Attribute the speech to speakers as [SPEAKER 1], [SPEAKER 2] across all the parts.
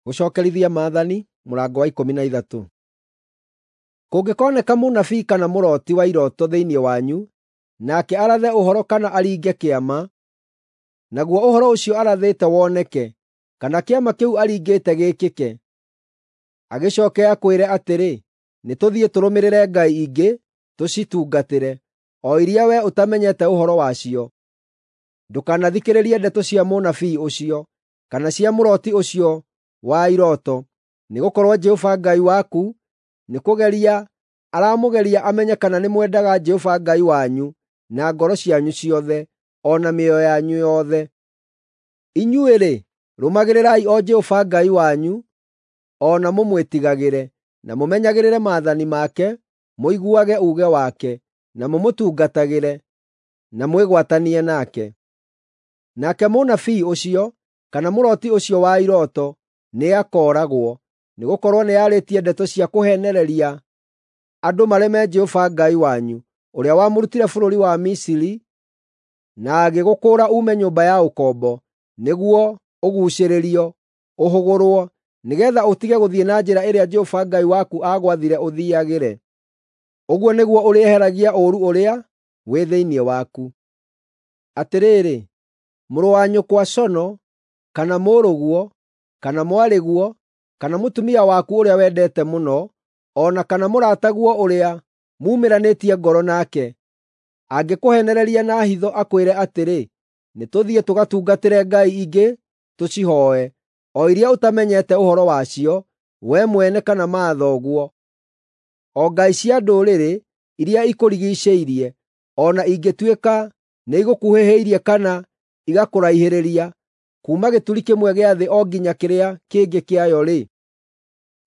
[SPEAKER 1] Gũcookerithia Maathani mũrango wa 13. Kũngĩkoneka mũnabii kana mũrooti wa irooto thĩinĩ wanyu, nake arathe ũhoro kana aringe kĩama, naguo ũhoro ũcio arathĩte woneke, kana kĩama kĩu aringĩte gĩĩkĩke, agĩcooke akwĩre atĩrĩ, “Nĩtũthiĩ tũrũmĩrĩre ngai ingĩ tũcitungatĩre,” o iria wee ũtamenyete ũhoro wacio. Ndũkanathikĩrĩrie ndeto cia mũnabii ũcio, kana cia mũrooti ũcio wa irooto, nĩgũkorwo Jehova Ngai waku nĩkũgeria aramũgeria amenye kana nĩmwendaga Jehova Ngai wanyu na ngoro cianyu ciothe, o na mĩoyo yanyu yothe. Inyuĩ-rĩ, rũmagĩrĩrai o Jehova Ngai wanyu, o na mũmwĩtigagĩre, na mũmenyagĩrĩre maathani make, mũiguage uuge wake, na mũmũtungatagĩre, na mwĩgwatanie nake. Nake mũnabii ũcio, kana mũrooti ũcio wa irooto nĩakooragwo, nĩgũkorwo nĩarĩtie ndeto cia kũheenereria andũ mareme Jehova Ngai wanyu, ũrĩa wamũrutire bũrũri wa Misiri na agĩgũkũũra uume nyũmba ya ũkombo, nĩguo ũguucĩrĩrio, ũhũgũrwo, nĩgeetha ũtige gũthiĩ na njĩra ĩrĩa Jehova Ngai waku aagwathire ũthiiagĩre. Ũguo nĩguo ũrĩeheragia ũũru ũrĩa wĩ thĩinĩ waku. Atĩrĩrĩ, mũrũ wa nyũkwa cono, kana mũrũguo, kana mwarĩguo, kana mũtumia waku ũrĩa wendete mũno, o na kana mũrataguo ũrĩa muumĩranĩtie ngoro nake, angĩkũheenereria na hitho akwĩre atĩrĩ, “Nĩtũthiĩ tũgatungatĩre ngai ingĩ tũcihooe,” o iria ũtamenyete ũhoro wacio, wee mwene kana mathoguo, o ngai cia ndũrĩrĩ iria ikũrigiicĩirie, o na ingĩtuĩka nĩigũkuhĩhĩirie kana igakũraihĩrĩria, kuuma gĩturi kĩmwe gĩa thĩ o nginya kĩrĩa kĩngĩ kĩayo-rĩ,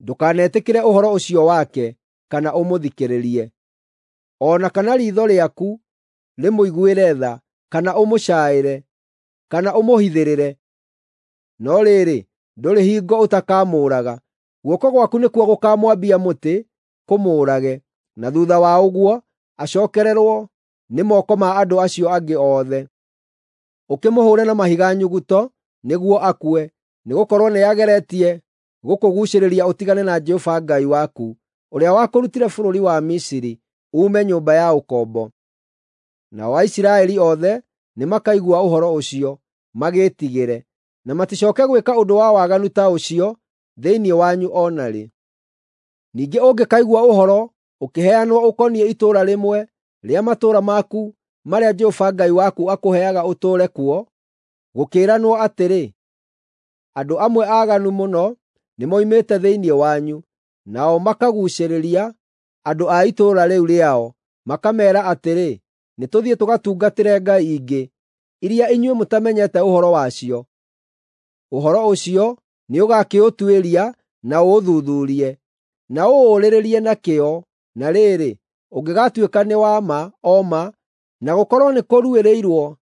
[SPEAKER 1] ndũkanetĩkĩre ũhoro ũcio wake, kana ũmũthikĩrĩrie. O na kana riitho rĩaku rĩmũiguĩre tha, kana ũmũcaaĩre, kana ũmũhithĩrĩre. No rĩrĩ, ndũrĩ hingo ũtakamũũraga. Guoko gwaku nĩkuo gũkaamwambia mũtĩ kũmũũrage, na thuutha wa ũguo acookererwo nĩ moko ma andũ acio angĩ othe. Ũkĩmũhũũre na mahiga nyuguto nĩguo akue, nĩgũkorwo nĩageretie gũkũguucĩrĩria ũtigane na Jehova Ngai waku, ũrĩa wakũrutire bũrũri wa Misiri, uume nyũmba ya ũkombo. Nao Aisiraeli othe nĩmakaigua ũhoro ũcio, magĩĩtigĩre, na maticooke gwĩka ũndũ wa waganu ta ũcio thĩinĩ wanyu o na rĩ. Ningĩ ũngĩkaigua ũhoro ũkĩheanwo ũkoniĩ itũũra rĩmwe rĩa matũũra maku marĩa Jehova Ngai waku akũheaga ũtũũre kuo, gũkĩĩranwo atĩrĩ, “Andũ amwe aaganu mũno nĩmoimĩte thĩinĩ wanyu,” nao makaguucĩrĩria andũ a itũũra rĩu rĩao, makameera atĩrĩ, “Nĩtũthiĩ tũgatungatĩre ngai ingĩ,” iria inyuĩ mũtamenyete ũhoro wacio. Ũhoro ũcio nĩũgakĩũtuĩria na ũũthuthuurie, na ũũũrĩrĩrie na kĩyo, na rĩrĩ, ũngĩgaatuĩka nĩ wa ma o ma, na gũkorwo nĩkũruĩrĩirwo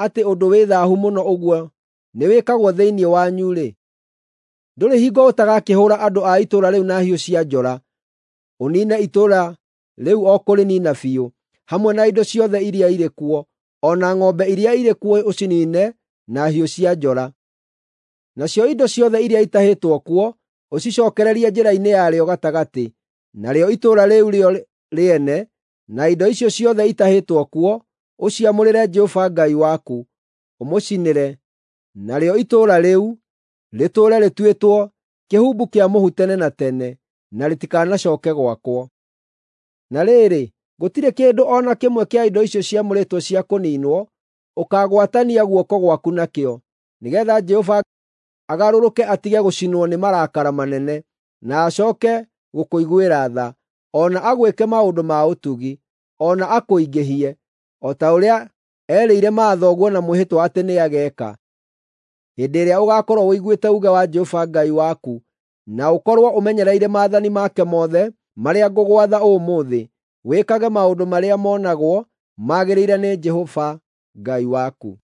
[SPEAKER 1] atĩ ũndũ wĩ thaahu mũno ũguo nĩwĩkagwo thĩinĩ wanyu-rĩ, ndũrĩ hingo ũtagakĩhũũra andũ a itũũra rĩu na hiũ cia njora, ũniine itũũra rĩu o kũrĩniina biũ, hamwe na indo ciothe iria irĩ kuo, o na ng'ombe iria irĩ kuo ũciniine na hiũ cia njora. Nacio indo ciothe iria itahĩtwo kuo ũcicookererie njĩra-inĩ yarĩo gatagatĩ, narĩo itũũra rĩu rĩo rĩene, na indo icio ciothe itahĩtwo kuo, ũciamũrĩre Jehova Ngai waku, ũmũcinĩre, narĩo itũũra rĩu rĩtũũre rĩtuĩtwo kĩhumbu kĩa mũhu tene na tene, na rĩtikanacooke gwakwo. Na rĩrĩ, gũtirĩ kĩndũ o na kĩmwe kĩa indo icio ciamũrĩtwo cia kũniinwo ũkaagwatania guoko gwaku nakĩo, nĩgeetha Jehova agarũrũke atige gũcinwo nĩ marakara manene, na acooke gũkũiguĩra tha, o na agwĩke maũndũ ma ũtugi, o na akũingĩhie, o ta ũrĩa erĩire mathoguo na mwĩhĩtwa atĩ nĩageeka. Hĩndĩ ĩrĩa ũgaakorwo ũiguĩte uuge wa Jehova Ngai waku, na ũkorwo ũmenyereire maathani make mothe marĩa ngũgwatha ũmũthĩ, wĩkage maũndũ marĩa monagwo magĩrĩire nĩ Jehova Ngai waku.